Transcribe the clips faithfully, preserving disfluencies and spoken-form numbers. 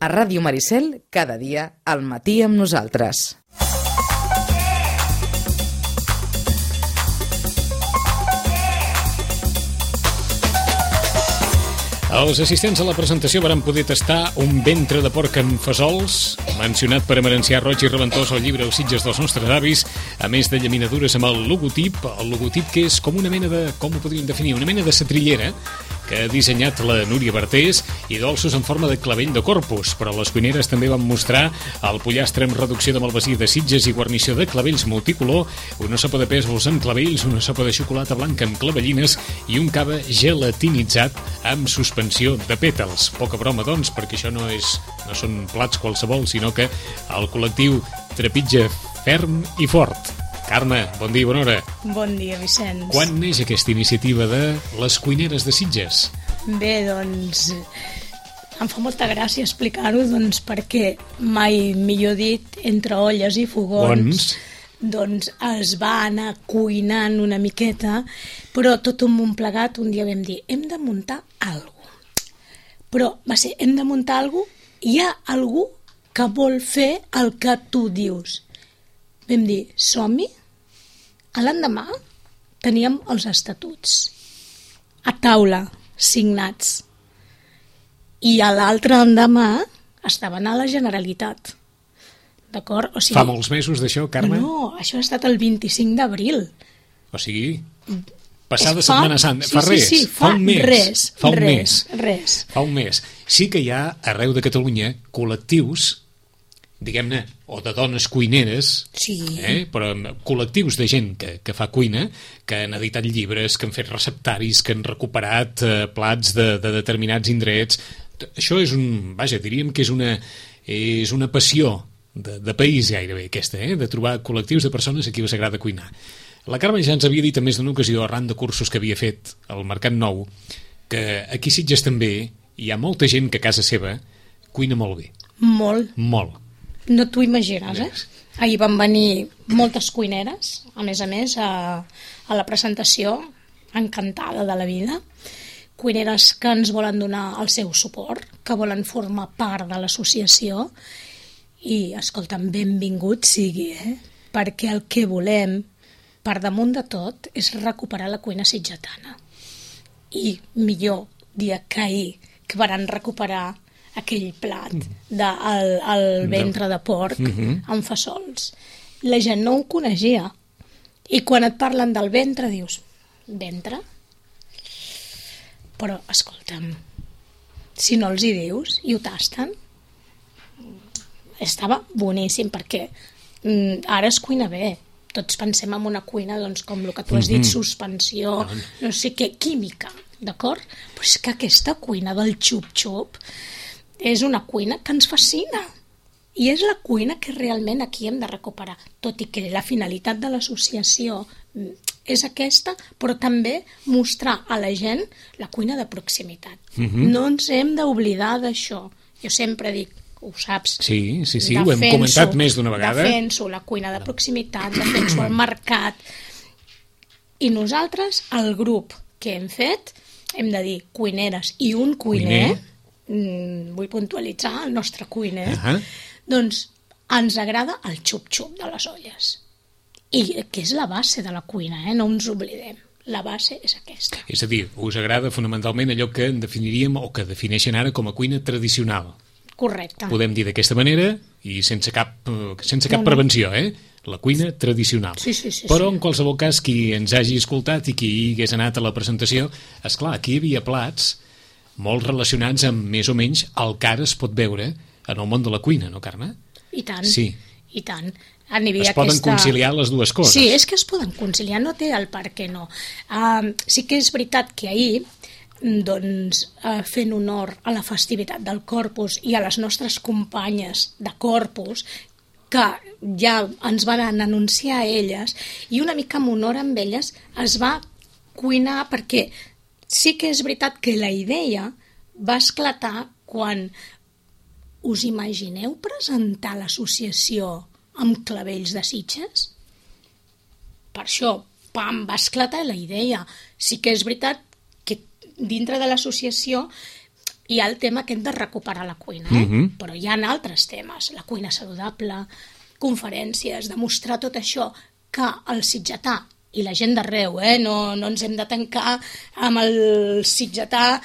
A Ràdio Maricel, cada dia al matí amb nosaltres. Els assistents a la presentació varen poder tastar un ventre de porc amb fesols, mencionat per Emerencià Roig i Reventós al llibre Els Sitges dels nostres avis, a més de llaminadures amb el logotip, el logotip que és com una mena de, com ho podríem definir, una mena de setrillera que ha dissenyat la Núria Bartés, i dolços en forma de clavell de corpus, però les cuineres també van mostrar el pollastre amb reducció de malvasí de Sitges i guarnició de clavells multicolor, una sopa de pèsols amb clavells, una sopa de xocolata blanca amb clavellines i un cava gelatinitzat amb suspensió de pètals. Poca broma, doncs, perquè això no és no són plats qualsevol, sinó que el col·lectiu trepitja ferm i fort. Carme, bon dia i bona hora. Bon dia, Vicenç. Quan neix aquesta iniciativa de les cuineres de Sitges? Bé, doncs, em fa molta gràcia explicar-ho, doncs, perquè mai, millor dit, entre olles i fogons, doncs es va anar cuinant una miqueta, però tot un munt plegat, un dia vam dir, hem de muntar alguna cosa. Però va ser, hem de muntar alguna cosa, hi ha algú que vol fer el que tu dius. Vam dir, som-hi? A l'endemà teníem els estatuts a taula, signats. I a l'altre endemà estaven a la Generalitat. D'acord? O sigui, fa molts mesos d'això, Carme? No, això ha estat el vint-i-cinc d'abril. O sigui, passada fa, Setmana Santa. Sí, fa res, sí, sí, fa, fa un mes. Res, fa un res, mes. Res. Fa un mes. Sí que hi ha, arreu de Catalunya, col·lectius, diguem-ne, o de dones cuineres, sí. eh? Però col·lectius de gent que, que fa cuina, que han editat llibres, que han fet receptaris, que han recuperat eh, plats de, de determinats indrets. Això és un, vaja, diríem que és una, és una passió de, de país gairebé, aquesta, eh? De trobar col·lectius de persones a qui us agrada cuinar. La Carme ja ens havia dit en més d'una ocasió, arran de cursos que havia fet al Mercat Nou, que aquí a Sitges també hi ha molta gent que a casa seva cuina molt bé. Molt. Molt. No t'ho imagines, eh? Ahir van venir moltes cuineres, a més a més, a, a la presentació, encantada de la vida. Cuineres que ens volen donar el seu suport, que volen formar part de l'associació. I, escolta'm, benvingut sigui, eh? Perquè el que volem, per damunt de tot, és recuperar la cuina sitgetana. I millor dia que ahir, que van recuperar aquell plat del el ventre de porc amb fesols. La gent no ho coneixia. I quan et parlen del ventre dius, ventre? Però, escolta'm, si no els hi dius i ho tasten, estava boníssim, perquè mm, ara es cuina bé. Tots pensem en una cuina, doncs, com el que tu has dit, suspensió, no sé què, química, d'acord? Però és que aquesta cuina del xup-xup és una cuina que ens fascina. I és la cuina que realment aquí hem de recuperar. Tot i que la finalitat de l'associació és aquesta, però també mostrar a la gent la cuina de proximitat. Uh-huh. No ens hem d'oblidar d'això. Jo sempre dic, ho saps, sí, sí, sí, ho hem comentat més d'una vegada. Defenso la cuina de proximitat, defenso el mercat. I nosaltres, el grup que hem fet, hem de dir cuineres i un cuiner, cuiner. Vull puntualitzar el nostre cuiner, uh-huh. Doncs ens agrada el xup-xup de les olles. I que és la base de la cuina, eh? No ens oblidem. La base és aquesta. És a dir, us agrada fonamentalment allò que en definiríem o que defineixen ara com a cuina tradicional. Correcte. Podem dir d'aquesta manera i sense cap, sense cap no, no. prevenció, eh? La cuina tradicional. Sí, sí, sí, Però sí. en qualsevol cas, qui ens hagi escoltat i qui hagués anat a la presentació, esclar, aquí hi havia plats molt relacionats amb més o menys el que ara es pot veure en el món de la cuina, no, Carme? I tant, sí. i tant. Es aquesta... poden conciliar les dues coses. Sí, és que es poden conciliar, no té el per què no. Uh, sí que és veritat que ahir, doncs, uh, fent honor a la festivitat del Corpus i a les nostres companyes de Corpus, que ja ens van anunciar a elles, i una mica en honor amb elles es va cuinar, perquè sí que és veritat que la idea va esclatar quan us imagineu presentar l'associació amb clavells de Sitges? Per això, pam, va esclatar la idea. Sí que és veritat que dintre de l'associació hi ha el tema aquest de recuperar la cuina, eh? Mhm. Però hi ha altres temes, la cuina saludable, conferències, demostrar tot això, que el sitgetà i la gent d'arreu, eh? no, no ens hem de tancar amb el sitgetà,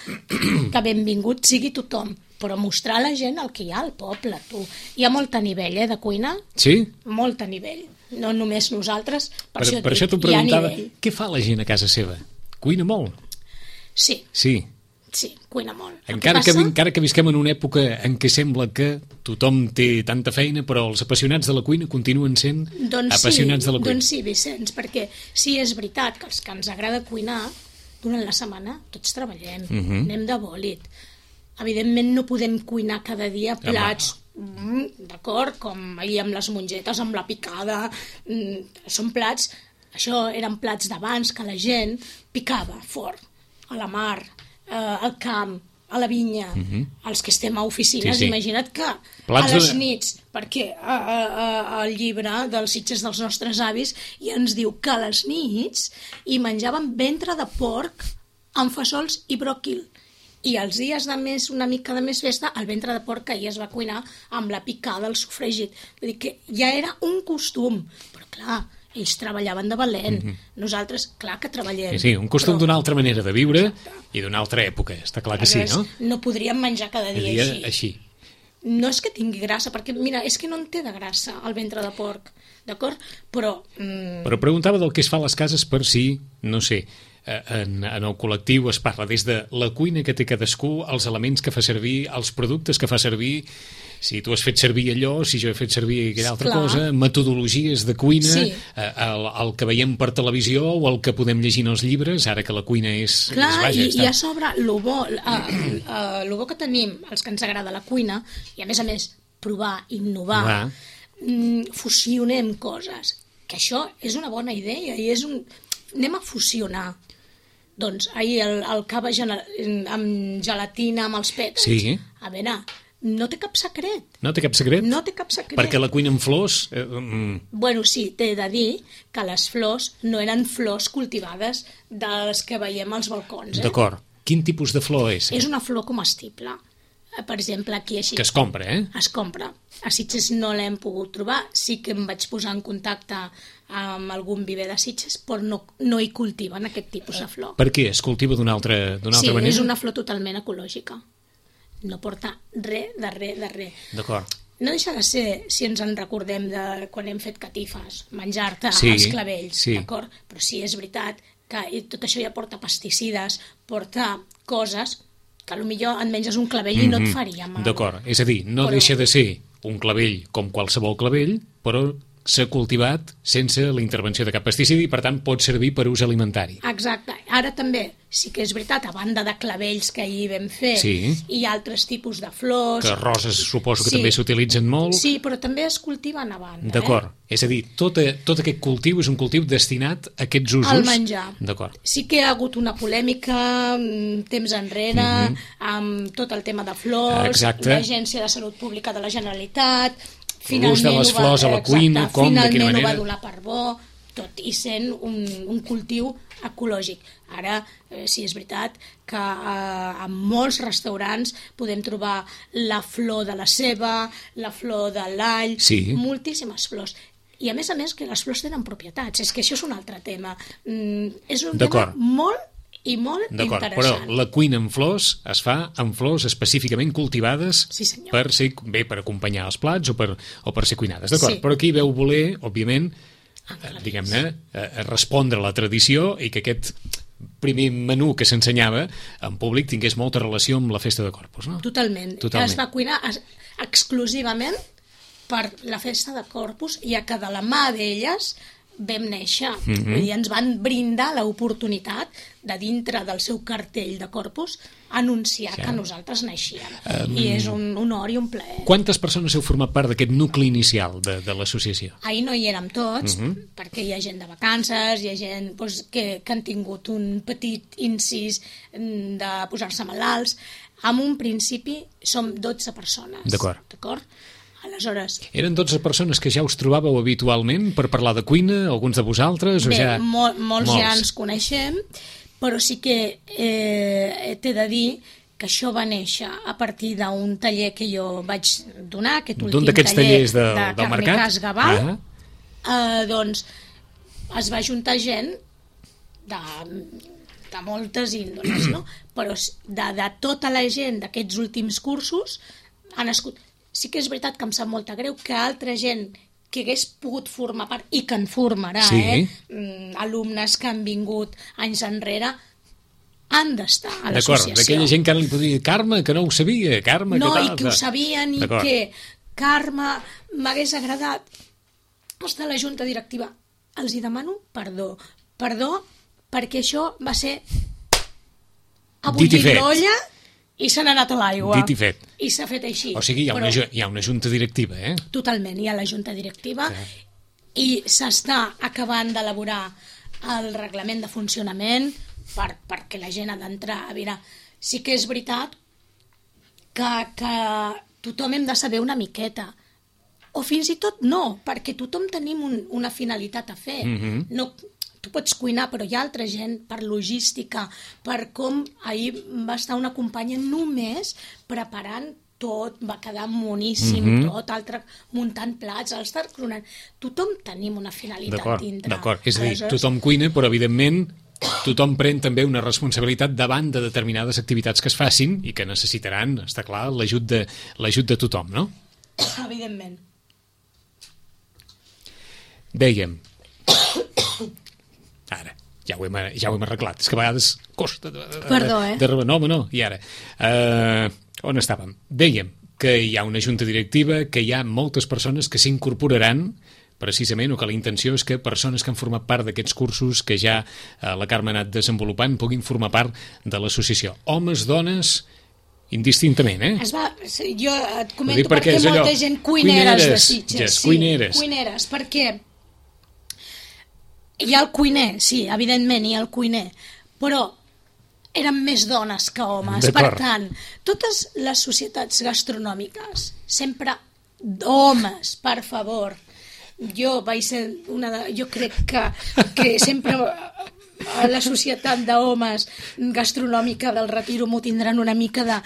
que benvingut sigui tothom, però mostrar a la gent el que hi ha al poble, tu. Hi ha molt a nivell, eh, de cuina, Sí? molt a nivell, no només nosaltres, per, Per, això, per això t'ho dic, hi ha preguntava, nivell. què fa la gent a casa seva? Cuina molt? Sí, Sí. sí, cuina molt. El Encara que, passa- encara que visquem en una època en què sembla que tothom té tanta feina, però els apassionats de la cuina continuen sent Doncs apassionats sí, de la cuina. Doncs sí, Vicenç, perquè sí, és veritat que els que ens agrada cuinar, durant la setmana tots treballem, Mhm. anem de bòlit. Evidentment no podem cuinar cada dia plats, mm, d'acord, com ahir amb les mongetes, amb la picada, mm, són plats, això eren plats d'abans que la gent picava fort, a la mar, eh, al camp, a la vinya, els que estem a oficines, Sí, sí. imagina't que Plats a les de- nits, perquè a, a, a, el llibre dels Sitges dels nostres avis ja ens diu que a les nits hi menjaven ventre de porc amb fesols i bròquil. I els dies de més, una mica de més festa, el ventre de porc que ahir es va cuinar amb la picada, el sofregit. Vull dir que ja era un costum. Però clar, ells treballaven de valent. Nosaltres, clar que treballem. Sí, sí, un costum però d'una altra manera de viure i d'una altra època, està clar que sí, no? No podríem menjar cada El dia, dia així. així. No és que tingui grassa, perquè, mira, és que no en té de grassa el ventre de porc, d'acord? Però, mm, Però preguntava del que es fa a les cases per si, no sé, eh, en, en el col·lectiu es parla des de la cuina que té cadascú, els elements que fa servir, els productes que fa servir, si tu has fet servir allò, si jo he fet servir aquella altra Clar. cosa, metodologies de cuina, Sí. eh, el, el que veiem per televisió o el que podem llegir en els llibres, ara que la cuina és... clar, és, vaja, i, està- i a sobre, el bo, eh, eh, lo bo que tenim, els que ens agrada la cuina, i a més a més, provar, innovar, Va. mm, fusionem coses, que això és una bona idea, i és un... anem a fusionar. Doncs ahir el, el cava gena- amb gelatina, amb els pètals. Sí. A veure, no té cap secret. No té cap secret? No té cap secret. Perquè la cuina amb flors... Eh, mm, Bueno, sí, t'he de dir que les flors no eren flors cultivades de les que veiem als balcons. Eh? D'acord. Quin tipus de flor és? És una flor comestible. Eh, Per exemple, aquí així. Que es compra, eh? Es compra. A Sitges no l'hem pogut trobar. Sí que em vaig posar en contacte amb algun viver de Sitges, però no, no hi cultiven aquest tipus de flor. Per què? Es cultiva d'una altra, d'una Sí, altra manera? és una flor totalment ecològica. No porta res de res de res. D'acord. No deixa de ser, si ens en recordem de quan hem fet catifes, menjar-te Sí, els clavells, sí. d'acord? Però sí, és veritat que tot això ja porta pesticides, porta coses que potser et menges un clavell i no et faria mal. D'acord, és a dir, no Però- deixa de ser un clavell com qualsevol clavell, però s'ha cultivat sense la intervenció de cap pesticidi i, per tant, pot servir per ús alimentari. Exacte. Ara també, sí que és veritat, a banda de clavells que ahir vam fer, Sí. hi ha altres tipus de flors. Que roses suposo que Sí. també s'utilitzen molt. Sí, però també es cultiven a banda. D'acord. Eh? És a dir, tot, a, tot aquest cultiu és un cultiu destinat a aquests usos. Al menjar. D'acord. Sí que hi ha hagut una polèmica mm, temps enrere mm -hmm. amb tot el tema de flors, Exacte. l'Agència de Salut Pública de la Generalitat, L'ús de les ho va- flors a la exacte, cuina, com, de finalment quina ho manera. va donar per bo, tot i sent un, un cultiu ecològic. Ara, eh, sí, és veritat que eh, en molts restaurants podem trobar la flor de la ceba, la flor de l'all, Sí. moltíssimes flors. I a més a més que les flors tenen propietats, és que això és un altre tema. Mm, és un tema D'acord. molt i molt D'acord, però interessant. la cuina amb flors es fa amb flors específicament cultivades Sí, senyor. per ser, bé, per acompanyar els plats o per, o per ser cuinades, d'acord? Sí. Però aquí veu voler, òbviament, Ah, clar, eh, diguem-ne, eh, respondre a la tradició i que aquest primer menú que s'ensenyava en públic tingués molta relació amb la festa de Corpus, no? Totalment. Totalment. Es va cuinar es- exclusivament per la festa de Corpus, ja que de la mà d'elles vam néixer. Mm -hmm. Vull dir, ens van brindar l'oportunitat de dintre del seu cartell de Corpus anunciar Sí. que nosaltres naixíem. Um... I és un honor i un plaer. Quantes persones heu format part d'aquest nucli inicial de, de l'associació? Ahir no hi érem tots, uh-huh. perquè hi ha gent de vacances, hi ha gent doncs, que, que han tingut un petit incís mm, de posar-se malalts. En un principi som dotze persones. D'acord. D'acord? Aleshores, Eren dotze persones que ja us trobàveu habitualment per parlar de cuina, alguns de vosaltres? O bé, ja... mol, molts, molts ja ens coneixem, però sí que eh, t'he de dir que això va néixer a partir d'un taller que jo vaig donar, aquest últim d'un d'aquests taller tallers de, de del mercat. Carnicàs Gabal, ah. eh, doncs es va juntar gent de, de moltes índoles, no? Però de, de tota la gent d'aquests últims cursos ha nascut. Sí que és veritat que em sap molta greu que altra gent que hagués pogut formar part, i que en formarà, sí. eh? Mm, alumnes que han vingut anys enrere, han d'estar a l'associació. D'acord, d'aquella gent que ara li podria dir Carme, que no ho sabia, Carme, no, que tal. No, i que ho sabien, i que Carme m'hagués agradat estar a la junta directiva. Els hi demano perdó. Perdó perquè això va ser a bullir l'olla i se n'ha anat a l'aigua. Dit i fet. I s'ha fet així. O sigui, hi ha, Però, una, hi ha una junta directiva, eh? Totalment, hi ha la junta directiva que... i s'està acabant d'elaborar el reglament de funcionament per, perquè la gent ha d'entrar. A veure, sí que és veritat que, que tothom hem de saber una miqueta. O fins i tot no, perquè tothom tenim un, una finalitat a fer. Mm-hmm. No... Tu pots cuinar, però hi ha altra gent per logística, per com ahir va estar una companya només preparant tot, va quedar moníssim, mm-hmm. tot, altre muntant plats, el estar cronant. Tothom tenim una finalitat dintre. D'acord, és a dir, tothom cuina, però evidentment tothom pren també una responsabilitat davant de determinades activitats que es facin i que necessitaran, està clar, l'ajut de, l'ajut de tothom, no? Evidentment. Dèiem... Ara, ja ho, hem, ja ho hem arreglat. És que a vegades costa... De, de, Perdó, eh? De, de, no, home, no. I ara, uh, on estàvem? Dèiem que hi ha una junta directiva, que hi ha moltes persones que s'incorporaran precisament, o que la intenció és que persones que han format part d'aquests cursos que ja uh, la Carme ha anat desenvolupant puguin formar part de l'associació. Homes, dones... indistintament, eh? Es va, jo et comento perquè, perquè molta allò, gent cuineres, cuineres de Sitges. Yes, sí, cuineres. Cuineres, perquè hi ha el cuiner, sí, evidentment hi ha el cuiner, però eren més dones que homes. Per tant, totes les societats gastronòmiques, sempre homes, per favor. Jo vaig ser una de... Jo crec que, que sempre... a la societat d'homes gastronòmica del Retiro m'ho tindran una mica de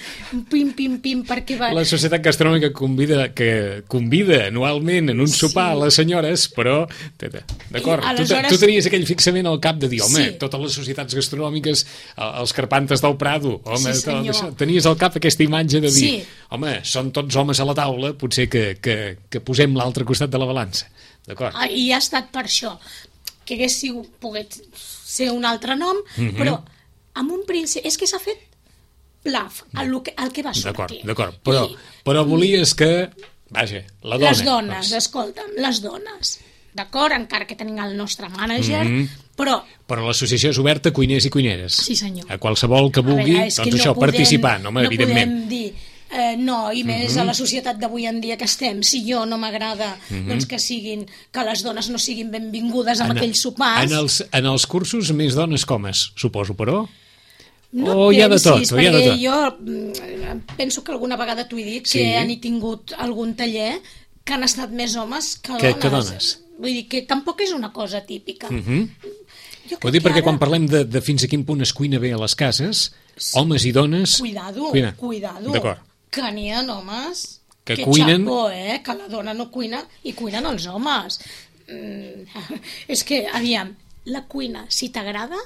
pim, pim, pim, perquè va... La societat gastronòmica convida, que convida anualment en un sopar sí. a les senyores, però, d'acord, aleshores... tu, tu tenies aquell fixament al cap de dir, home, sí. totes les societats gastronòmiques, els Carpantes del Prado, home, sí, tot, tenies al cap aquesta imatge de dir, sí. home, són tots homes a la taula, potser que, que, que posem l'altre costat de la balança, d'acord? Ah, i ha estat per això, que hagués sigut, pogués ser un altre nom, mm-hmm. però amb un principi... És que s'ha fet plaf, el que, el que va sortir. D'acord, d'acord, però, I, però volies que... Vaja, la dona... Les dones, doncs. Escolta'm, les dones. D'acord, encara que tenim el nostre mànager, mm-hmm. però... Però l'associació és oberta a cuiners i cuineres. Sí, senyor. A qualsevol que vulgui, a veure, doncs no això, podem, participar, no, home, no evidentment. No podem dir... Eh, no, i més mm-hmm. a la societat d'avui en dia que estem, si jo no m'agrada mm-hmm. doncs que siguin, que les dones no siguin benvingudes en, en aquells sopars. En els, en els cursos més dones comes, suposo, però? No o pensis, hi ha de tot, o hi ha de tot? Jo penso que alguna vegada t'ho he dit, sí. que han tingut algun taller que han estat més homes que, que dones. Que dones. Vull dir que tampoc és una cosa típica. Mm-hmm. Ho dic perquè ara... quan parlem de, de fins a quin punt es cuina bé a les cases, sí. homes i dones... Cuidado, cuina. cuidado. D'acord. Que n'hi ha homes que, que cuinen... xapó, eh? Que la dona no cuina i cuinen els homes. Mm, és que, aviam, la cuina, si t'agrada,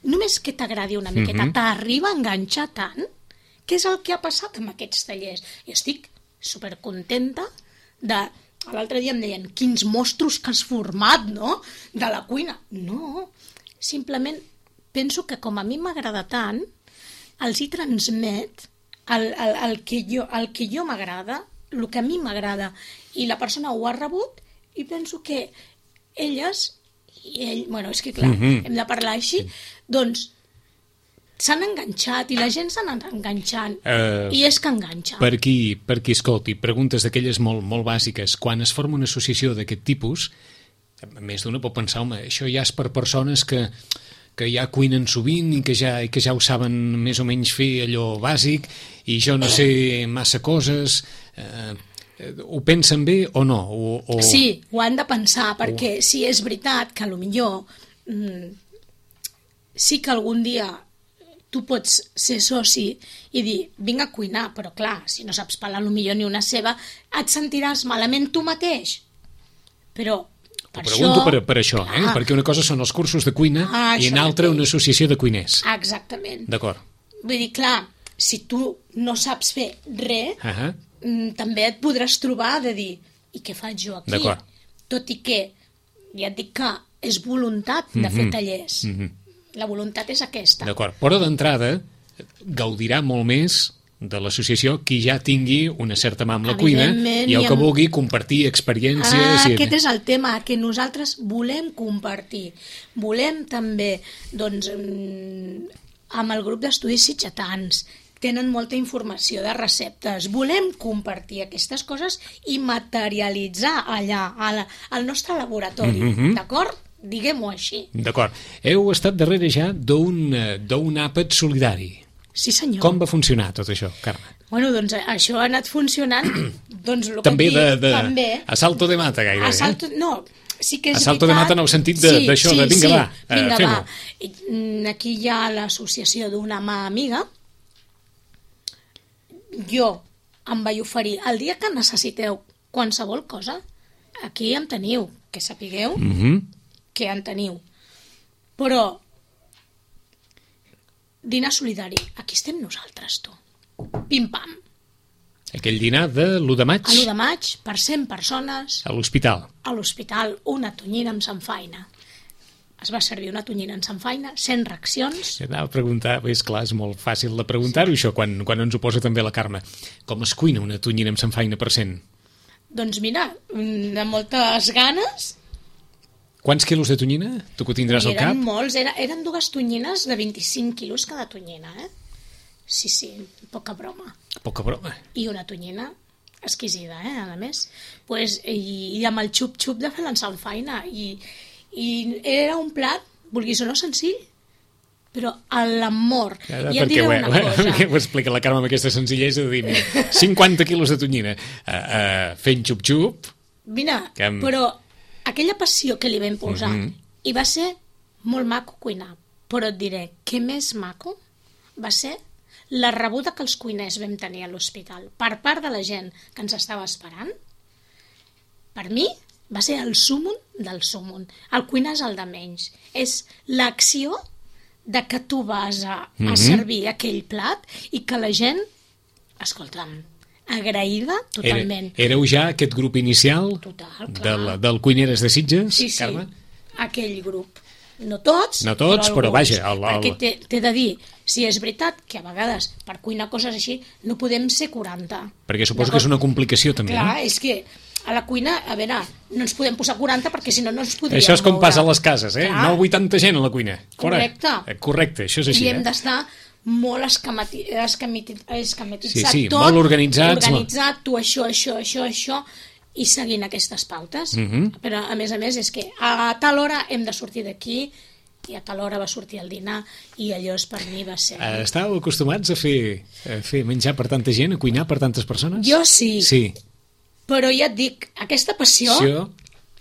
només que t'agradi una miqueta, mm-hmm. t'arriba a enganxar tant, que és el que ha passat amb aquests tallers. I estic supercontenta de... L'altre dia em deien, quins mostros que has format, no?, de la cuina. No, simplement penso que com a mi m'agrada tant, els hi transmet el, el, el que jo, el que jo m'agrada, el que a mi m'agrada, i la persona ho ha rebut, i penso que elles, i ell, bueno, és que clar, mm-hmm. hem de parlar així, doncs s'han enganxat i la gent s'ha anat enganxant uh, i és que enganxa. Per qui, per qui escolti, preguntes d'aquelles molt, molt bàsiques. Quan es forma una associació d'aquest tipus, més d'una pot pensar, home, això ja és per persones que, que ja cuinen sovint i que ja, i que ja ho saben més o menys fer allò bàsic i jo no sé massa coses... Uh, ho pensen bé o no? O, o... Sí, ho han de pensar, perquè o... si és veritat que potser mm, sí que algun dia tu pots ser soci i dir, vinc a cuinar, però clar, si no saps pelar potser ni una ceba, et sentiràs malament tu mateix. Però T'ho pregunto per, per això, eh? clar. Perquè una cosa són els cursos de cuina Ah, i això una altra mateix. una associació de cuiners. Exactament. D'acord. Vull dir, clar, si tu no saps fer res, Uh -huh. mm, també et podràs trobar de dir, i què faig jo aquí? D'acord. Tot i que, ja et dic que és voluntat de fer Mhm. tallers. Mhm. La voluntat és aquesta. D'acord. Però d'entrada gaudirà molt més de l'associació qui ja tingui una certa mà amb la cuina Evidentment, i el i que amb- vulgui compartir experiències. Ah, i... aquest és el tema, que nosaltres volem compartir. Volem també, doncs, mm, amb el grup d'estudis sitgetans, tenen molta informació de receptes. Volem compartir aquestes coses i materialitzar allà, a la, al nostre laboratori, Mhm. d'acord? Diguem-ho així. D'acord. Heu estat darrere ja d'un eh, d'un àpat solidari. Sí, senyor. Com va funcionar tot això, Carme? Bueno, doncs això ha anat funcionant, doncs el que També et dic, de, de també. a salto de mata, gairebé. A salto, no, sí que és A salto de veritat. mata en el sentit de- Sí, d'això, sí, de vinga, sí, va, eh, vinga, fem-ho. va. I, mm, aquí hi ha l'associació d'una mà amiga. Jo em vaig oferir, el dia que necessiteu qualsevol cosa, aquí em teniu, que sapigueu Eh? Mhm. que en teniu. Però dinar solidari, aquí estem nosaltres, tu. Pim-pam. Aquell dinar de l'u de maig A l'u de maig, per cent persones, a l'hospital. a l'hospital, una tonyina amb samfaina. Es va servir una tonyina amb samfaina, cent racions. Anava a preguntar, és clar, és molt fàcil de preguntar-ho, això, quan, quan ens ho posa també la Carme. Com es cuina una tonyina amb samfaina per cent? Doncs mira, de moltes ganes, Quants quilos de tonyina? Tu que ho tindràs i al cap? eren molts, era, eren dues tonyines de vint-i-cinc quilos cada tonyina, eh? Sí, sí, poca broma. Poca broma. I una tonyina exquisida, eh, a més. Pues, i, i amb el xup-xup de fer l'ensalfaina. I, I era un plat, vulguis o no, senzill, però a l'amor. Ara, I et perquè diré ho, una cosa. perquè ho explica la Carme amb aquesta senzillesa de dir, mira, cinquanta quilos de tonyina uh, uh, fent xup-xup. Mira, Que amb- però aquella passió que li vam posar, Mhm. i va ser molt maco cuinar, però et diré, què més maco va ser la rebuda que els cuiners vam tenir a l'hospital per part de la gent que ens estava esperant. Per mi va ser el súmum del súmum. El cuinar és el de menys. És l'acció de que tu vas a, a Mhm. servir aquell plat i que la gent, escolta'm, agraïda totalment. Era, éreu ja aquest grup inicial Total, clar. del, del Cuineres de Sitges, Sí, sí, Carme? aquell grup. No tots, No tots, però alguns. vaja, el- el- Perquè t'he t'he de dir, si és veritat que a vegades per cuinar coses així no podem ser quaranta. Perquè suposo que és una complicació també, Clar, no? és que a la cuina, a veure, no ens podem posar quaranta perquè si no no ens podríem Això és com moure. passa a les cases, eh? Clar. No vuitanta gent a la cuina. Fora. Correcte. Eh, Correcte, això és així, I hem eh? d'estar molt escamati, escamati, escamatitzat Sí, sí, tot, molt organitzats, organitzat, tu això, això, això, això, i seguint aquestes pautes. Mhm. Però, a més a més, és que a tal hora hem de sortir d'aquí i a tal hora va sortir el dinar i allò és per mi va ser... Eh, Estàveu acostumats a fer, a fer menjar per tanta gent, a cuinar per tantes persones? Jo sí, Sí. però ja et dic, aquesta passió Això,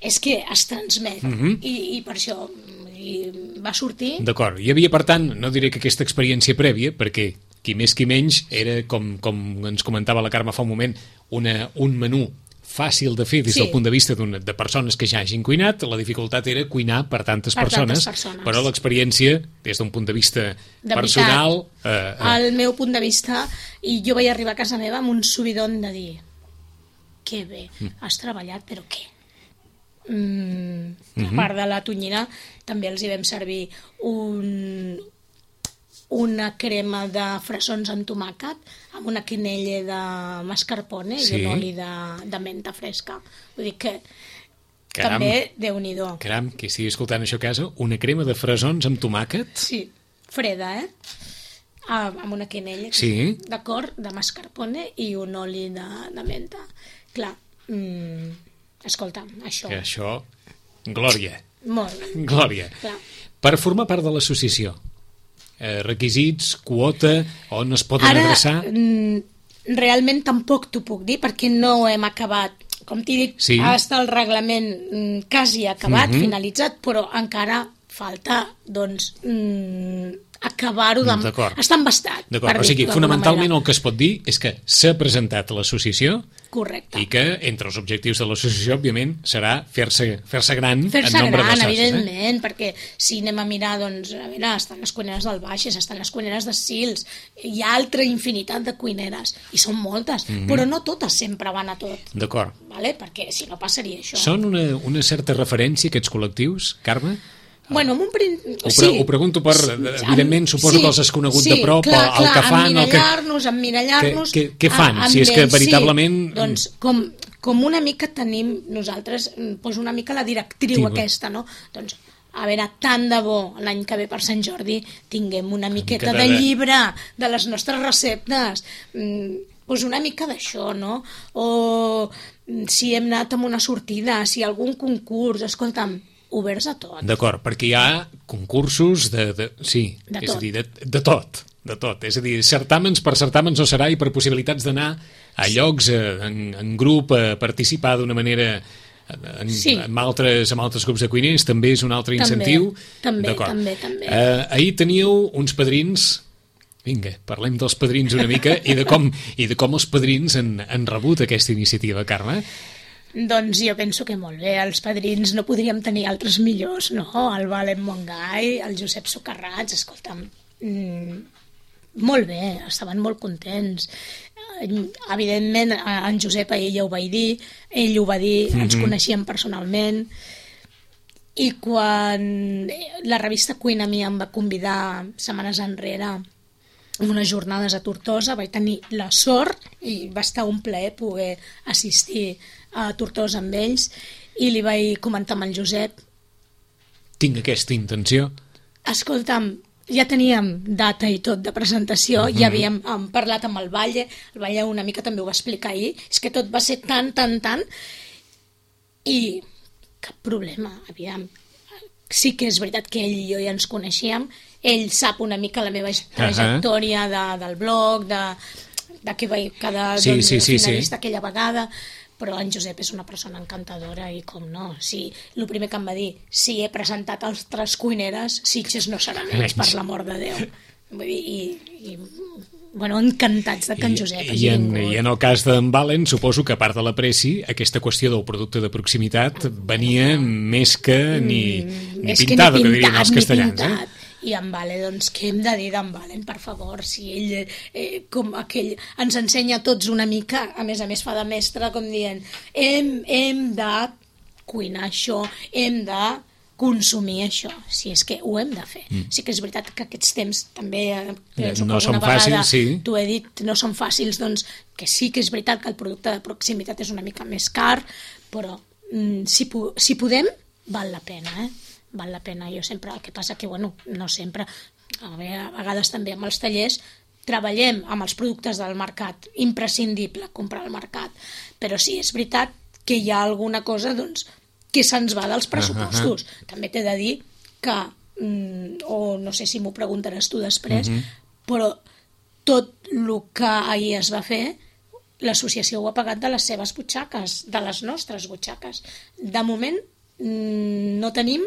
és que es transmet Mhm. I, i per això i va sortir... d'acord. Hi havia, per tant, no diré que aquesta experiència prèvia, perquè qui més qui menys era, com, com ens comentava la Carme fa un moment, una, un menú fàcil de fer des Sí. del punt de vista de persones que ja hagin cuinat. La dificultat era cuinar per tantes, Per persones, tantes persones. però l'experiència, des d'un punt de vista De personal... veritat, Eh, eh, al meu punt de vista, i jo vaig arribar a casa meva amb un subidon de dir que bé, has treballat, però què? Mm, a part de la tonyina, també els hi vam servir un, una crema de fresons amb tomàquet amb una quenella de mascarpone Sí. i un oli de, de menta fresca. Vull dir que Caram. també, Déu-n'hi-do. Caram, qui estigui escoltant això a casa, una crema de fresons amb tomàquet? Sí, freda, eh? Ah, amb una quenella, Sí. d'acord, de mascarpone i un oli de, de menta. Clar, mm, escolta, això... Que això... Glòria, Molt bé. glòria. Clar. Per formar part de l'associació, eh, requisits, quota, on es poden Ara, adreçar? mm, realment tampoc t'ho puc dir perquè no hem acabat. Com t'he dit, Sí. està el reglament mm, quasi acabat, Mhm. finalitzat, però encara falta, doncs, mm, acabar-ho de... D'acord. Està embastat. D'acord, o sigui, fonamentalment el que es pot dir és que s'ha presentat a l'associació. Correcte. I que entre els objectius de l'associació, òbviament, serà fer-se fer-se gran fer-se en nombre gran, de socis. evidentment, eh? Perquè si anem a mirar, doncs, a veure, estan les cuineres del Baixes, estan les cuineres de Sils, hi ha altra infinitat de cuineres, i són moltes, mm -hmm. però no totes sempre van a tot. D'acord. Vale? Perquè si no passaria això. Són una, una certa referència, aquests col·lectius, Carme? Bueno, amb un prin... Ho, sí. ho pregunto per... Evidentment, suposo sí, que els has conegut sí, de prop, clar, el clar, que fan... emmirallar-nos, emmirallar-nos... Què, què, què fan? A, si és que ells, veritablement... Sí. Doncs com, com una mica tenim nosaltres, doncs una mica la directriu Tiba. aquesta, no? Doncs, a veure, tant de bo l'any que ve per Sant Jordi tinguem una miqueta mica de... de de llibre de les nostres receptes, mm, doncs una mica d'això, no? O si hem anat amb una sortida, si algun concurs, escolta'm, oberts a tot. D'acord, perquè hi ha concursos de... de sí, de és tot. a dir, de, de tot, de tot. És a dir, certàmens per certàmens no serà i per possibilitats d'anar a llocs, en, en grup, a participar d'una manera... En, sí. amb, altres, amb altres grups de cuiners també és un altre incentiu. També, també, també. Eh, ahir teníeu uns padrins... Vinga, parlem dels padrins una mica i de com, i de com els padrins han, han rebut aquesta iniciativa, Carme. Doncs jo penso que molt bé, els padrins no podríem tenir altres millors, no? El Valent Mongai, el Josep Socarrats, escolta'm, mmm, molt bé, estaven molt contents. Evidentment, en Josep a ell ja ho vaig dir, ell ho va dir, mm-hmm. ens coneixíem personalment, i quan la revista Cuina Mi em va convidar setmanes enrere unes jornades a Tortosa, vaig tenir la sort i va estar un plaer poder assistir a Tortosa amb ells i li vaig comentar amb el Josep. Tinc aquesta intenció. Escolta'm, ja teníem data i tot de presentació, mm-hmm. ja havíem um, parlat amb el Valle, el Valle una mica també ho va explicar ahir, és que tot va ser tan, tan, tan, i cap problema, aviam. Sí que és veritat que ell i jo ja ens coneixíem, ell sap una mica la meva trajectòria uh-huh. de, del blog, de, de què vaig quedar sí, doncs, sí, sí, finalista sí. aquella vegada, però en Josep és una persona encantadora i com no, si, el primer que em va dir, si he presentat altres cuineres, Sitges no serà menys, per l'amor de Déu. Vull dir, i, i bueno, encantats de que en Josep hagi I, en, vingut. I en el cas d'en Valen, suposo que a part de la pressi, aquesta qüestió del producte de proximitat venia més que ni, mm, ni que pintado, ni que dirien els castellans. Pintat. Eh? I en Vale, doncs, què hem de dir d'en Valen, per favor? Si ell, eh, com aquell, ens ensenya a tots una mica, a més a més fa de mestre, com dient, hem, hem de cuinar això, hem de consumir això, si és que ho hem de fer. Mm. Sí que és veritat que aquests temps també, penso no que són alguna vegada fàcils, sí. t'ho he dit, no són fàcils, doncs que sí que és veritat que el producte de proximitat és una mica més car, però mm, si, si podem, val la pena, eh? Val la pena. Jo sempre, el que passa que, bueno, no sempre, a vegades també amb els tallers, treballem amb els productes del mercat, imprescindible comprar al mercat, però sí, és veritat que hi ha alguna cosa, doncs, que se'ns va dels pressupostos. Uh-huh. També t'he de dir que, mm, o no sé si m'ho preguntaràs tu després, uh-huh. però tot el que ahir es va fer, l'associació ho ha pagat de les seves butxaques, de les nostres butxaques. De moment mm, no tenim.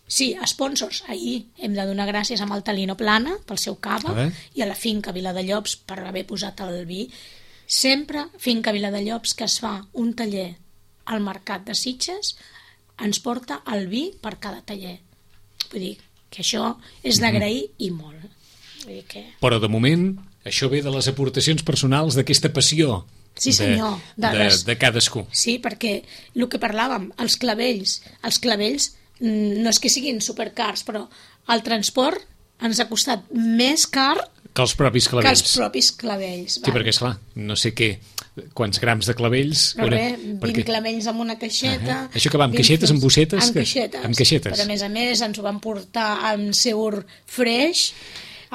Sí, sponsors. Ahir hem de donar gràcies amb el Talino Plana pel seu cava i a la finca Viladellobs per haver posat el vi. Sempre finca Viladellobs, que es fa un taller al mercat de Sitges, ens porta el vi per cada taller. Vull dir que això és d'agrair i molt. Vull dir que... Però de moment això ve de les aportacions personals d'aquesta passió. Sí, senyor. De, de, de, de cadascú. Sí, perquè el que parlàvem, els clavells, els clavells no és que siguin supercars, però el transport ens ha costat més car que els propis clavells. Que els propis clavells. Sí, perquè, esclar, no sé què, quants grams de clavells... No res, vint perquè... clavells amb una caixeta... Uh-huh. Això que va, amb caixetes, amb bossetes? Amb caixetes. Amb caixetes. Però, a més a més, ens ho van portar amb seur fresh,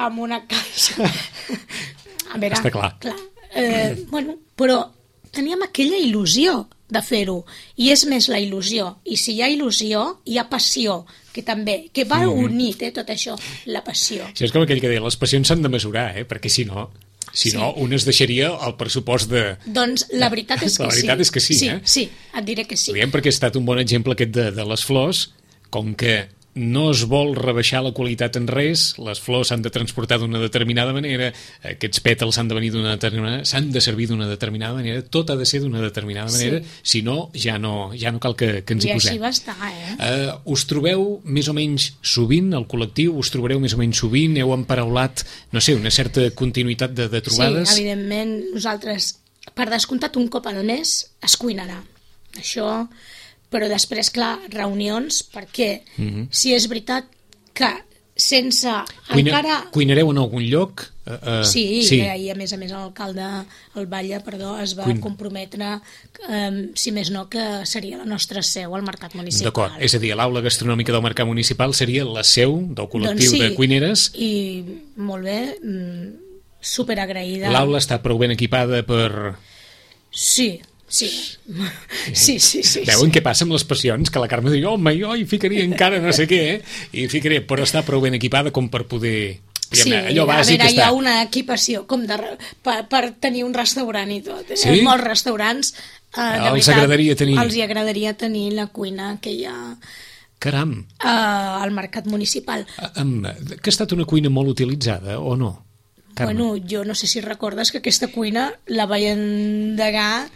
amb una caixa... A veure, està clar. clar eh, bueno, però teníem aquella il·lusió de fer-ho, i és més la il·lusió, i si hi ha il·lusió hi ha passió, que també que va mm. unit, eh, tot això, la passió. Això és com aquell que deia, les passions s'han de mesurar, eh, perquè si no si sí. no, un es deixaria el pressupost de... Doncs la veritat és que sí. La veritat sí. és que sí, sí, eh? Sí, et diré que sí. Diem perquè ha estat un bon exemple aquest de, de les flors, com que no es vol rebaixar la qualitat en res, les flors s'han de transportar d'una determinada manera, aquests pètals s'han de venir d'una determinada manera, s'han de servir d'una determinada manera, tot ha de ser d'una determinada manera, sí. Si no, ja no, ja no cal que, que ens hi posem. I així va estar, eh? Uh, us trobeu més o menys sovint, el col·lectiu, us trobareu més o menys sovint, heu emparaulat, no sé, una certa continuïtat de, de trobades? Sí, evidentment, nosaltres, per descomptat, un cop al mes es cuinarà. Això... Però després, clar, reunions, perquè mm-hmm. si és veritat que sense Cuina, encara... Cuinareu en algun lloc? Uh, uh, sí, sí. I a més a més l'alcalde, el Batlle, perdó, es va Cuina. comprometre, um, si més no, que seria la nostra seu al Mercat Municipal. D'acord, és a dir, l'aula gastronòmica del Mercat Municipal seria la seu del col·lectiu doncs sí, de cuineres? I molt bé, superagraïda. L'aula està prou ben equipada per... Sí, Sí, sí, sí, sí. Veuen sí. què passa amb les passions? Que la Carme diu, home, jo hi ficaria encara no sé què, eh? I ficaria, però està prou ben equipada com per poder... Sí, allò bàsic a veure, hi ha una equipació com de, per, per tenir un restaurant i tot. Eh? Sí? Molts restaurants, eh, de els veritat, agradaria tenir. Els hi agradaria tenir la cuina que hi ha... Caram! Eh, al Mercat Municipal. Um, que ha estat una cuina molt utilitzada, o no? Carme? Bueno, jo no sé si recordes que aquesta cuina la vaig endegar...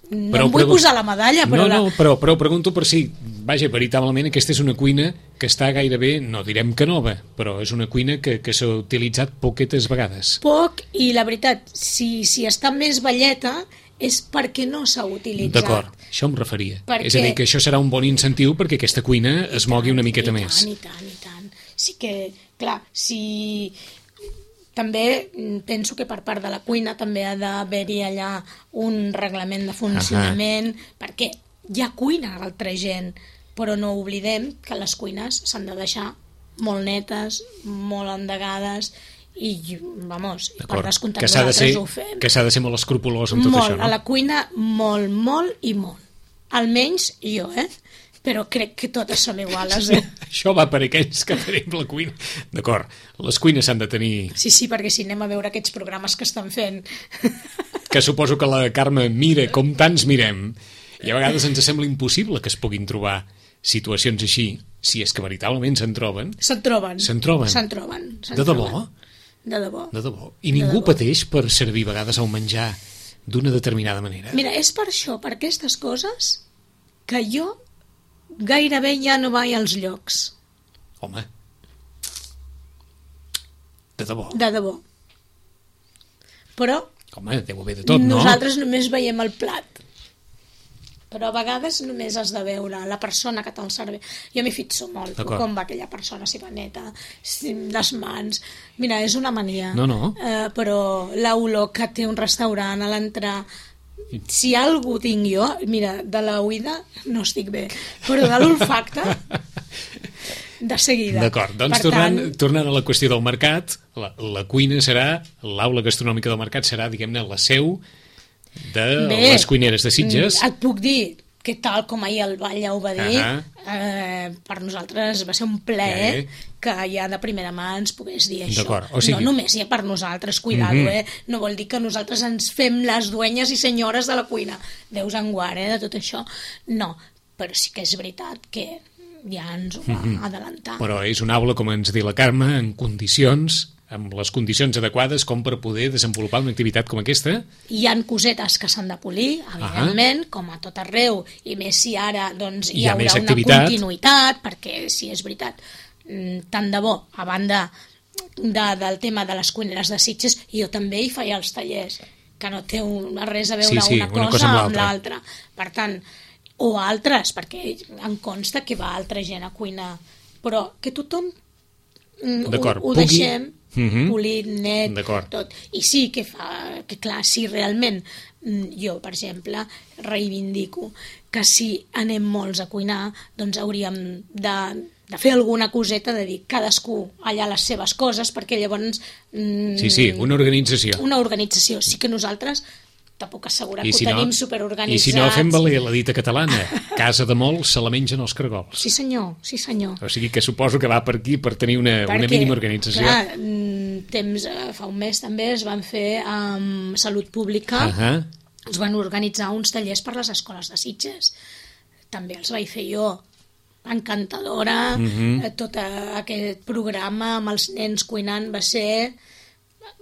No però, em vull pregun... posar la medalla, però... No, la... no, però, però pregunto per si, vaja, veritablement aquesta és una cuina que està gairebé, no direm que nova, però és una cuina que, que s'ha utilitzat poquetes vegades. Poc, i la veritat, si, si està més velleta és perquè no s'ha utilitzat. D'acord, això em referia. Perquè... És a dir, que això serà un bon incentiu perquè aquesta cuina es mogui una miqueta i tant, més. I tant, i tant. Sí que, clar, si... També penso que per part de la cuina també ha d'haver-hi allà un reglament de funcionament, uh-huh. perquè hi ha cuina a altra gent, però no oblidem que les cuines s'han de deixar molt netes, molt endegades, i, vamos, per descomptat nosaltres ho fem. Que s'ha de ser molt escrupolós amb tot molt, això, no? A la cuina, molt, molt i molt. Almenys jo, eh? Però crec que totes són iguales. Eh? Això va per aquells que tenim la cuina. D'acord, les cuines s'han de tenir... Sí, sí, perquè si anem a veure aquests programes que estan fent... Que suposo que la Carme mira com tants mirem, i a vegades ens sembla impossible que es puguin trobar situacions així, si és que veritablement se'n troben. Se'n troben. Se'n troben. Se'n troben. De debò? De debò. De debò. I ningú pateix per servir a vegades el menjar d'una determinada manera? Mira, és per això, per aquestes coses, que jo gairebé ja no vaig als llocs. Home. De debò. De debò. Però... Home, deu haver de tot, no? Nosaltres només veiem el plat. Però a vegades només has de veure la persona que te'l serveix. Jo m'hi fixo molt, com va aquella persona, si va neta, si les mans... Mira, és una mania. No, no. Eh, però l'olor que té un restaurant a l'entrar... Si algú tinc jo, mira, de la oïda no estic bé, però de l'olfacte de seguida. D'acord, doncs per tornant, tant... tornant a la qüestió del mercat, la, la cuina serà, l'aula gastronòmica del mercat serà, diguem-ne, la seu de bé, les cuineres de Sitges. Et puc dir que tal com ahir el Batlle ho va dir, uh-huh. eh, per nosaltres va ser un plaer eh. que ja de primera mà ens pogués dir això. O sigui... No només ja per nosaltres, cuidado, uh-huh. eh? No vol dir que nosaltres ens fem les duenyes i senyores de la cuina. Déus en guard, eh, de tot això. No, però sí que és veritat que ja ens ho va uh-huh. adelantar. Però és una aula, com ens diu la Carme, en condicions... amb les condicions adequades com per poder desenvolupar una activitat com aquesta? Hi han cosetes que s'han de polir, evidentment, uh-huh. com a tot arreu, i més si ara doncs, hi, hi haurà una activitat. Continuïtat, perquè si és veritat, tant de bo, a banda de, del tema de les cuineres de Sitges, jo també hi feia els tallers, que no té un, res a veure sí, sí, una, una cosa, cosa amb l'altra. Per tant, o altres, perquè em consta que va altra gent a cuinar, però que tothom ho, ho deixem... Uh-huh. polit, net, tot. I sí que fa, que clar, si realment jo, per exemple, reivindico que si anem molts a cuinar, doncs hauríem de, de fer alguna coseta, de dir cadascú allà les seves coses, perquè llavors... Mm, sí, sí, una organització. Una organització, sí que nosaltres... te puc assegurar que si ho tenim no, superorganitzats. I si no, fem valer la dita catalana. Casa de molts se la mengen els caragols. Sí senyor, sí senyor. O sigui que suposo que va per aquí per tenir una, Perquè, una mínima organització. Clar, temps, fa un mes també es van fer amb Salut Pública, uh-huh. es van organitzar uns tallers per les escoles de Sitges. També els vaig fer jo. encantadora, Mhm. tot aquest programa amb els nens cuinant va ser...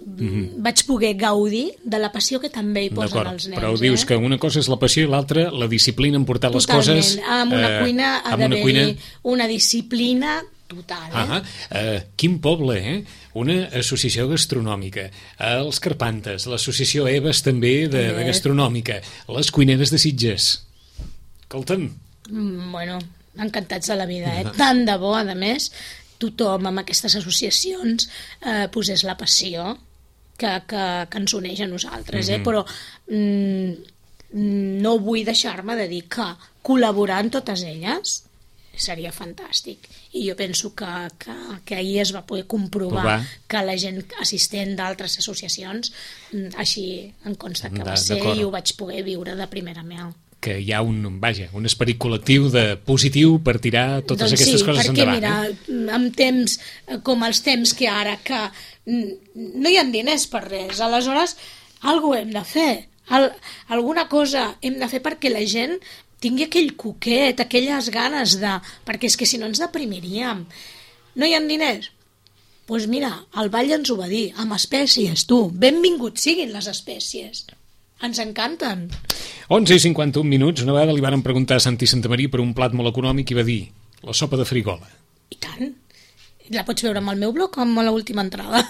Mhm. Vaig poder gaudir de la passió que també hi posen D'acord, els nens. però dius eh? que una cosa és la passió i l'altra la disciplina en portar les Totalment. coses... Amb una eh, cuina ha amb una d'haver-hi cuina... una disciplina total. Eh? Ah, eh, quin poble, eh? Una associació gastronòmica, els Carpantes, l'associació Eves també de, de gastronòmica, les cuineres de Sitges. Escolta'm. Mm, bueno, encantats de la vida, eh? Tant de bo, a més, tothom amb aquestes associacions eh, posés la passió que, que, que ens uneix a nosaltres, eh? Mhm. Però mm, no vull deixar-me de dir que col·laborar en totes elles seria fantàstic. I jo penso que, que, que ahir es va poder comprovar Provar. que la gent assistent d'altres associacions mm, així em consta que va ser D'acord. i ho vaig poder viure de primera mà. Que hi ha un, vaja, un esperit col·lectiu de positiu per tirar totes doncs aquestes sí, coses perquè, endavant. mira, eh? amb temps eh, com els temps que ara, que mm, no hi ha diners per res, aleshores alguna hem de fer, Al, alguna cosa hem de fer perquè la gent tingui aquell coquet, aquelles ganes de... perquè és que si no ens deprimiríem. No hi ha diners? Doncs pues mira, el Vall ens ho va dir, amb espècies, tu, benvinguts siguin les espècies. Ens encanten. onze i cinquanta-un minuts, una vegada li varen preguntar a Santi Santamaria per un plat molt econòmic i va dir la sopa de frigola. I tant. La pots veure amb el meu blog o amb l'última entrada.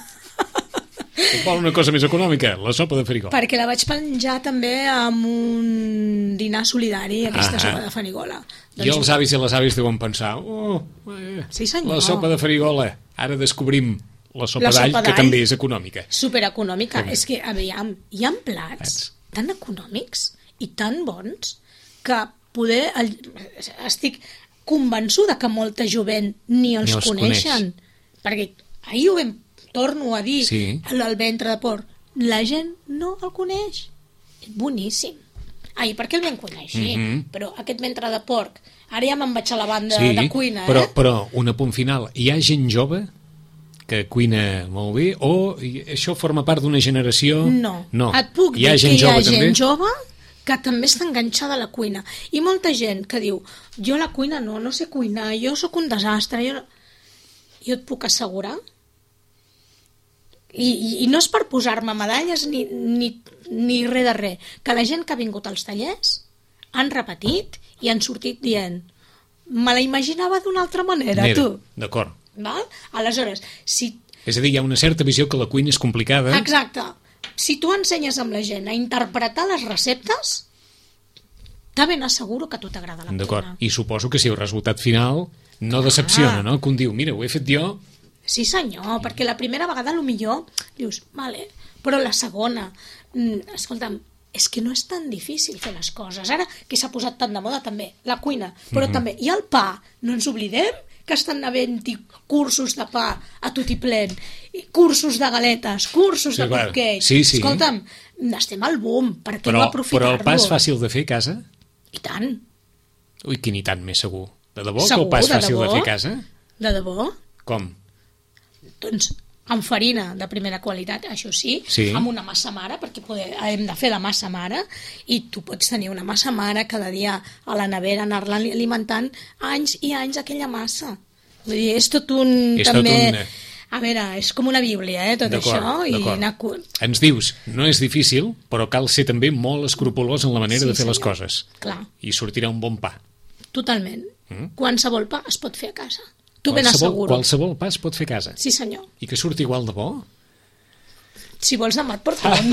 Vol una cosa més econòmica, la sopa de frigola. Perquè la vaig penjar també amb un dinar solidari, aquesta Ah, sopa de farigola. I els avis i les àvies deuen pensar, oh, eh, Sí, senyor. la sopa de frigola, ara descobrim la sopa La sopa d'all, que d'all. també és econòmica. Supereconòmica. Com? És que, aviam, hi ha plats Plats. tan econòmics i tan bons que poder... El, estic convençuda que molta jovent ni els, Ni els coneixen. Perquè ahir ho vam, torno a dir, Sí. el, el ventre de porc. La gent no el coneix. És boníssim. Ai, per què el vam conèixer? Mhm. Però aquest ventre de porc, ara ja me'n vaig a la banda Sí, de cuina, però, eh? però un apunt final. Hi ha gent jove que cuina molt bé o i això forma part d'una generació... No. no. Et puc hi ha dir gent que hi ha jove, gent també? jove que també està enganxada a la cuina. I molta gent que diu, jo la cuina no, no sé cuinar, jo sóc un desastre. Jo, no... jo et puc assegurar, i, i, i no és per posar-me medalles ni, ni, ni res de res, que la gent que ha vingut als tallers han repetit i han sortit dient me la imaginava d'una altra manera, Mira, tu. d'acord. Val? Aleshores, si És a dir, hi ha una certa visió que la cuina és complicada. exacte. Si tu ensenyes amb la gent a interpretar les receptes, de ben asseguro que a tu t'agrada la D'acord. cuina. I suposo que si el resultat final no decepciona, no? Que un diu, mira, ho he fet jo... Sí, senyor, perquè la primera vegada a lo millor dius, vale, però la segona, mm, escolta'm, és que no és tan difícil fer les coses. Ara que s'ha posat tan de moda també, la cuina, però Mhm. també, i el pa, no ens oblidem que estan havent-hi cursos de pa a tot i plen, i cursos de galetes, cursos Sí, de clar. cupcakes. Sí, sí. Escolta'm, estem al boom, per què Però, no aprofitar-lo? però el pa és fàcil de fer a casa? I tant, Ui, quin i tant més segur. De debò que Segur, el pa és de fàcil de, debò? fer a casa? de debò. Com? Doncs amb farina de primera qualitat, això sí, Sí. amb una massa mare, perquè poder, hem de fer la massa mare, i tu pots tenir una massa mare cada dia a la nevera, anar-la alimentant anys i anys aquella massa. Vull dir, és tot un... És tot també... un- A veure, és com una bíblia, eh, tot D'acord, això. I d'acord. anar... cu- Ens dius, no és difícil, però cal ser també molt escrupolós en la manera Sí, de fer les senyor. coses. Clar, I sortirà un bon pa. totalment. Mm. Qualsevol pa es pot fer a casa. Tu ben Qualsevol, asseguro. qualsevol pa es pot fer a casa. Sí, senyor. I que surti igual de bo? Si vols demà et porto un.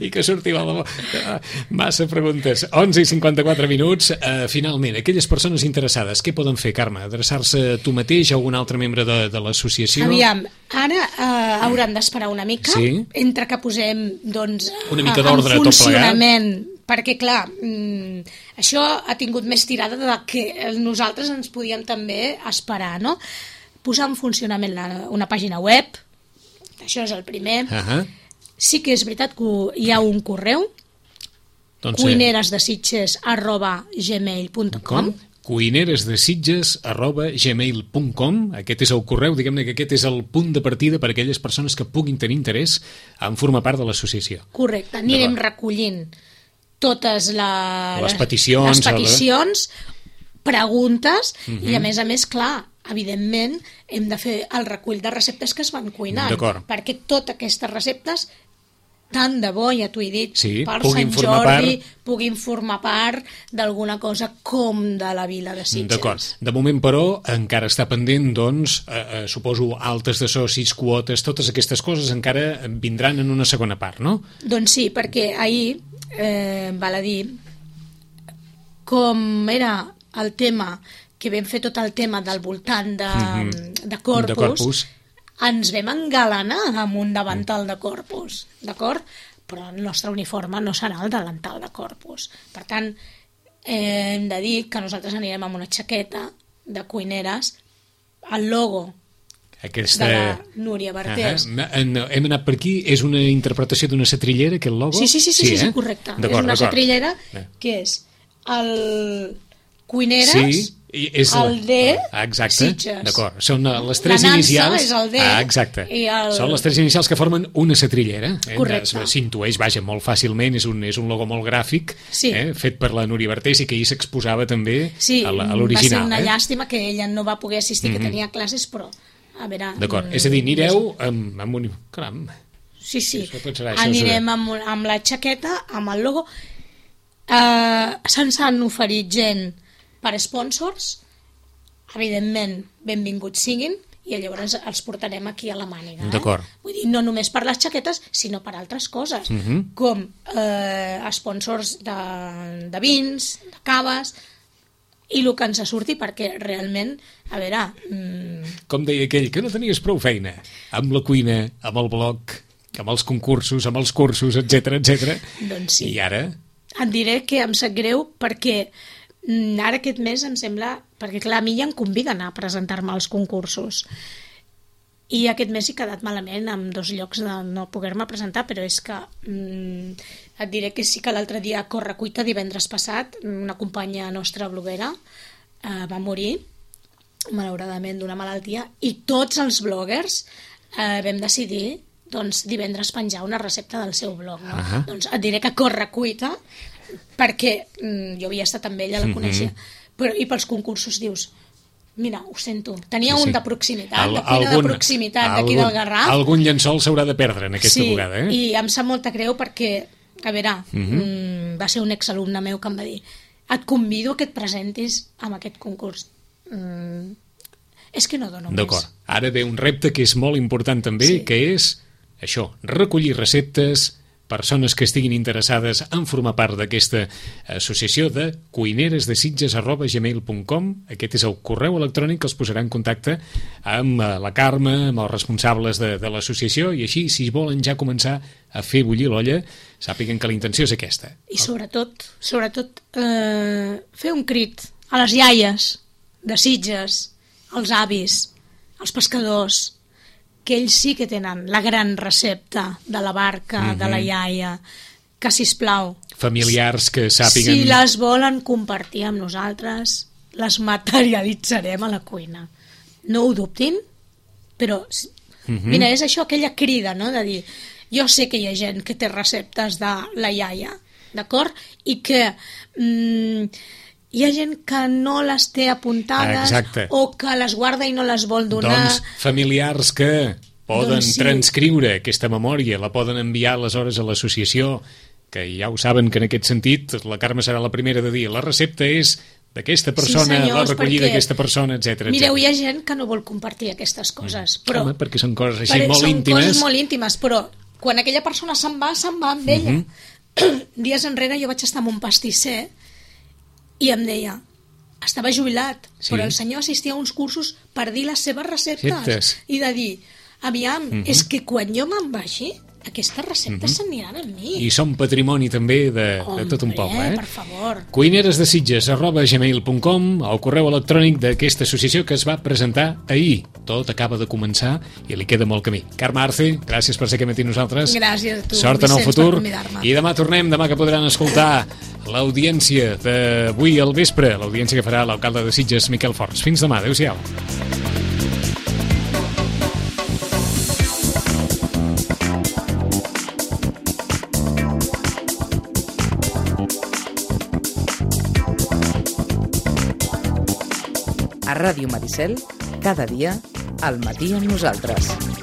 I que surti igual de bo. Ah, Massa preguntes. onze i cinquanta-quatre minuts. Uh, finalment, aquelles persones interessades, què poden fer, Carme? Adreçar-se a tu mateix o a un altre membre de, de l'associació? Aviam, ara eh, hauran d'esperar una mica, Sí. entre que posem doncs, Una mica eh, d'ordre en tot plegat. funcionament, perquè clar, mm, això ha tingut més tirada de que nosaltres ens podíem també esperar, no? Posar en funcionament la, una pàgina web, això és el primer. Uh-huh. Sí que és veritat que hi ha un correu, Doncs, eh, cuineresdesitges arroba gmail punt com. com? cuineresdesitges arroba gmail punt com. Aquest és el correu, diguem-ne que aquest és el punt de partida per a aquelles persones que puguin tenir interès en formar part de l'associació. Correcte, anirem D'acord. recollint totes la, Les peticions, les peticions preguntes uh-huh. i, a més a més, clar, evidentment, hem de fer el recull de receptes que es van cuinant. D'acord. Perquè totes aquestes receptes, tant de bo, ja t'ho he dit, sí, per puguin Sant formar Jordi, part... puguin formar part d'alguna cosa com de la Vila de Sitges. D'acord. De moment, però, encara està pendent, doncs, eh, eh, suposo, altes de socis, quotes, totes aquestes coses encara vindran en una segona part, no? Doncs sí, perquè ahir, eh, val a dir, com era el tema, que vam fer tot el tema del voltant de, mm-hmm. de Corpus, de Corpus, ens vam engalanar amb un davantal de Corpus, d'acord? Però el nostre uniforme no serà el davantal de Corpus. Per tant, eh, hem de dir que nosaltres anirem amb una jaqueta de cuineres, el logo aquesta... de la Núria Bartés. Uh -huh. Hem anat per aquí, és una interpretació d'una setrillera, aquest logo? Sí, sí, sí, sí, sí, sí, eh? correcte. És una setrillera que és el cuineres... Sí. És el D, exacte, Sitges. D'acord. Són les tres la inicials... és el D. Ah, exacte. I el... Són les tres inicials que formen una setrillera. Eh? Correcte. S'intueix, vaja, molt fàcilment, és un, és un logo molt gràfic, sí. eh? fet per la Núria Bartés i que ahir s'exposava també sí, a l'original. Sí, va ser una eh? llàstima que ella no va poder assistir, mm-hmm. que tenia classes, però, a veure... D'acord, és a dir, anireu amb, amb un... Caram. Sí, sí, serà, anirem amb, amb la jaqueta, amb el logo. Uh, Se'ns han oferit gent per sponsors, evidentment, benvinguts siguin, i llavors els portarem aquí a la màniga. Eh? D'acord. Vull dir, no només per les jaquetes, sinó per altres coses, uh-huh. com eh, sponsors de, de vins, de caves, i el que ens surti, perquè realment, a veure... Mmm... Com deia aquell, que no tenies prou feina, amb la cuina, amb el blog, amb els concursos, amb els cursos, etcètera, etcètera. Doncs sí. I ara? Et diré que em sap greu perquè ara aquest mes em sembla... Perquè, clar, a mi ja em conviden a presentar-me als concursos. I aquest mes he quedat malament amb dos llocs de no poder-me presentar, però és que mm, et diré que sí que l'altre dia a Correcuita, divendres passat, una companya nostra bloguera eh, va morir, malauradament, d'una malaltia, i tots els bloggers eh, vam decidir doncs, divendres penjar una recepta del seu blog. No? Uh-huh. Doncs et diré que Correcuita, perquè mm, jo havia estat amb ella, la coneixia, uh-huh. però, i pels concursos dius, mira, ho sento, tenia sí, sí. un de proximitat, Al, de cuina algun, de proximitat d'aquí del Garraf. Algun llençol s'haurà de perdre en aquesta sí, vegada, eh? I em sap molta greu perquè, a veure, uh-huh. mm, va ser un exalumne meu que em va dir, et convido que et presentis amb aquest concurs. Mm, és que no dono més. D'acord, ara ve un repte que és molt important també, sí. que és això, recollir receptes, persones que estiguin interessades en formar part d'aquesta associació de cuineres de sitges arroba gmail punt com. Aquest és el correu electrònic que els posarà en contacte amb la Carme, amb els responsables de, de l'associació, i així, si volen ja començar a fer bullir l'olla, sàpiguen que la intenció és aquesta. I sobretot, sobretot eh, fer un crit a les iaies de Sitges, als avis, als pescadors, que ells sí que tenen la gran recepta de la barca, mm-hmm. de la iaia, que, sisplau... Familiars que sàpiguen... Si les volen compartir amb nosaltres, les materialitzarem a la cuina. No ho dubtin, però... Mm-hmm. Mira, és això, aquella crida, no?, de dir, jo sé que hi ha gent que té receptes de la iaia, d'acord? I que... Mm, hi ha gent que no les té apuntades Exacte. O que les guarda i no les vol donar. Doncs familiars que poden doncs sí. transcriure aquesta memòria, la poden enviar aleshores a l'associació, que ja ho saben que en aquest sentit la Carme serà la primera de dir la recepta és d'aquesta persona, sí, senyors, la recollida d'aquesta persona, etcètera. Mireu, hi ha gent que no vol compartir aquestes coses. Mm. Però, Home, perquè són coses així molt són íntimes. Són coses molt íntimes, però quan aquella persona se'n va, se'n va amb ella. Mm-hmm. Dies enrere jo vaig estar amb un pastisser i em deia, estava jubilat, sí. però el senyor assistia a uns cursos per dir les seves receptes. Receptes. I de dir, aviam, mm-hmm. és que quan jo me'n vagi, aquestes receptes mm-hmm. s'aniran amb mi. I són patrimoni també de, Hombre, de tot un poble. Eh? per favor. Cuineres de Sitges arroba gmail punt com, el correu electrònic d'aquesta associació que es va presentar ahir. Tot acaba de començar i li queda molt camí. Carme Arce, gràcies per ser aquí amb nosaltres. Gràcies a tu, Sort en el Vicenç, futur. I demà tornem, demà que podran escoltar l'audiència d'avui al vespre, l'audiència que farà l'alcalde de Sitges, Miquel Forns. Fins demà, adéu-siau. A Ràdio Maricel, cada dia, al matí amb nosaltres.